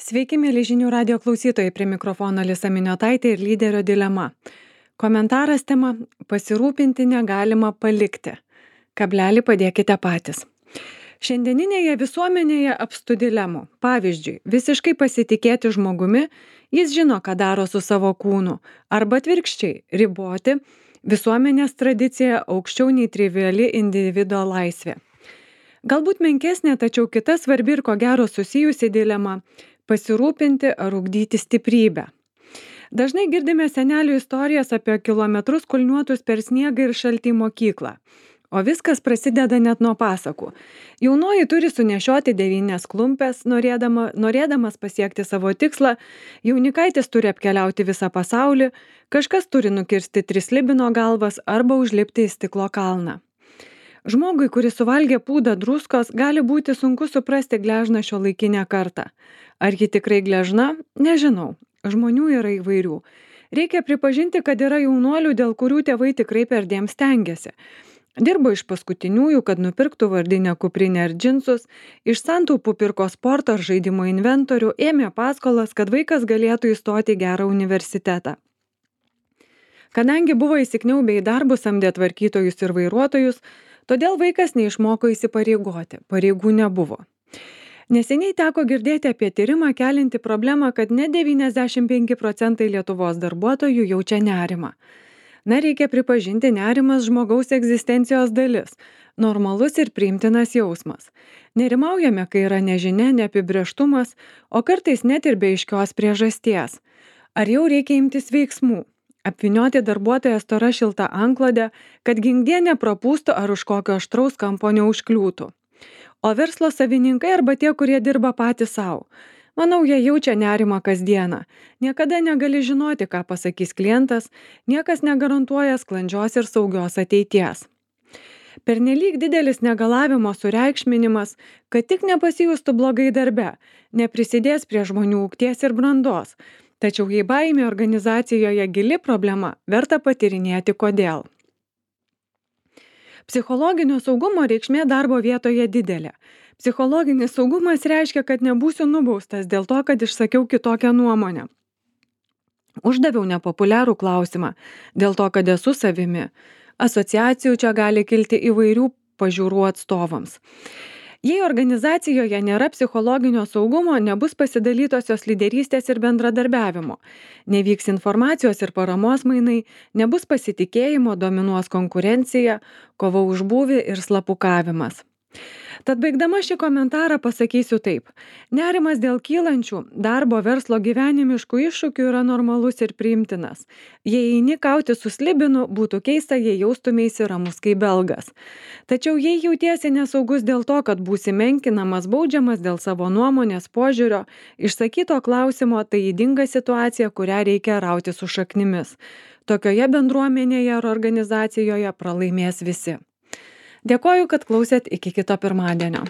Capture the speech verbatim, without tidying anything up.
Sveiki, mėly žinių radio klausytojai, prie mikrofono Lisa Miniotaitė ir lyderio dilema. Komentaras tema - pasirūpinti negalima palikti. Kablelį padėkite patys. Šiandieninėje visuomenėje apstu dilemų. Pavyzdžiui, visiškai pasitikėti žmogumi, jis žino, ką daro su savo kūnu, arba atvirkščiai - riboti visuomenės tradiciją aukščiau nei triviali individo laisvė. Galbūt menkesnė, tačiau kita svarbi ir ko gero susijusi dilema - pasirūpinti ar ugdyti stiprybę. Dažnai girdime senelių istorijas apie kilometrus kulniuotus per sniegą ir šaltį į mokyklą. O viskas prasideda net nuo pasakų. Jaunoji turi sunešioti devynias klumpes, norėdama, norėdamas pasiekti savo tikslą, jaunikaitis turi apkeliauti visą pasaulį, kažkas turi nukirsti tris libino galvas arba užlipti į stiklo kalną. Žmogui, kuris suvalgė pūdą druskos, gali būti sunku suprasti gležną šiuolaikinę kartą. Ar ji tikrai gležna? Nežinau. Žmonių yra įvairių. Reikia pripažinti, kad yra jaunuolių, dėl kurių tėvai tikrai perdėm stengiasi. Dirbo iš paskutiniųjų, kad nupirktų vardinę kuprinę ar džinsus, iš santaupų pirko sporto ar žaidimo inventorių, ėmė paskolas, kad vaikas galėtų įstoti į gerą universitetą. Kadangi buvo įsikniaubę į darbus, samdė tvarkytojus ir vairuotojus, todėl vaikas neišmoko įsipareigoti, pareigų nebuvo. Neseniai teko girdėti apie tyrimą kelinti problemą, kad net devyniasdešimt penki procentai Lietuvos darbuotojų jaučia nerimą. Na, reikia pripažinti, nerimas žmogaus egzistencijos dalis, normalus ir priimtinas jausmas. Nerimaujame, kai yra nežinia, neapibrėžtumas, o kartais net ir be aiškios priežasties. Ar jau reikia imtis veiksmų? Apvynioti darbuotoją stora šilta antklode, kad ginkdie neprapūstų ar už kokio aštraus kampo neužkliūtų. O verslo savininkai arba tie, kurie dirba patys savo. Manau, jie jaučia nerimą kasdieną. Niekada negali žinoti, ką pasakys klientas, niekas negarantuoja sklandžios ir saugios ateities. Pernelyg didelis negalavimo sureikšminimas, kad tik nepasijustų blogai darbe, neprisidės prie žmonių ugties ir brandos. Tačiau jei baimė organizacijoje gili problema, verta patyrinėti kodėl. Psichologinio saugumo reikšmė darbo vietoje didelė. Psichologinis saugumas reiškia, kad nebūsiu nubaustas dėl to, kad išsakiau kitokią nuomonę. Uždaviau nepopuliarų klausimą dėl to, kad esu savimi. Asociacijų čia gali kilti įvairių pažiūrų atstovams. Jei organizacijoje nėra psichologinio saugumo, nebus pasidalytosios lyderystės ir bendradarbiavimo. Nevyks informacijos ir paramos mainai, nebus pasitikėjimo, dominuos konkurencija, kova už būvį ir slapukavimas. Tad baigdama šį komentarą pasakysiu taip. Nerimas dėl kylančių darbo, verslo, gyvenimiškų iššūkių yra normalus ir priimtinas. Jei eini kauti su slibinu, būtų keista, jei jaustumėsi ramus kaip belgas. Tačiau jei jautiesi nesaugus dėl to, kad būsi menkinamas, baudžiamas dėl savo nuomonės, požiūrio, išsakyto klausimo, tai ydinga situacija, kurią reikia rauti su šaknimis. Tokioje bendruomenėje ar organizacijoje pralaimės visi. Dėkoju, kad klausėt, iki kito pirmadienio.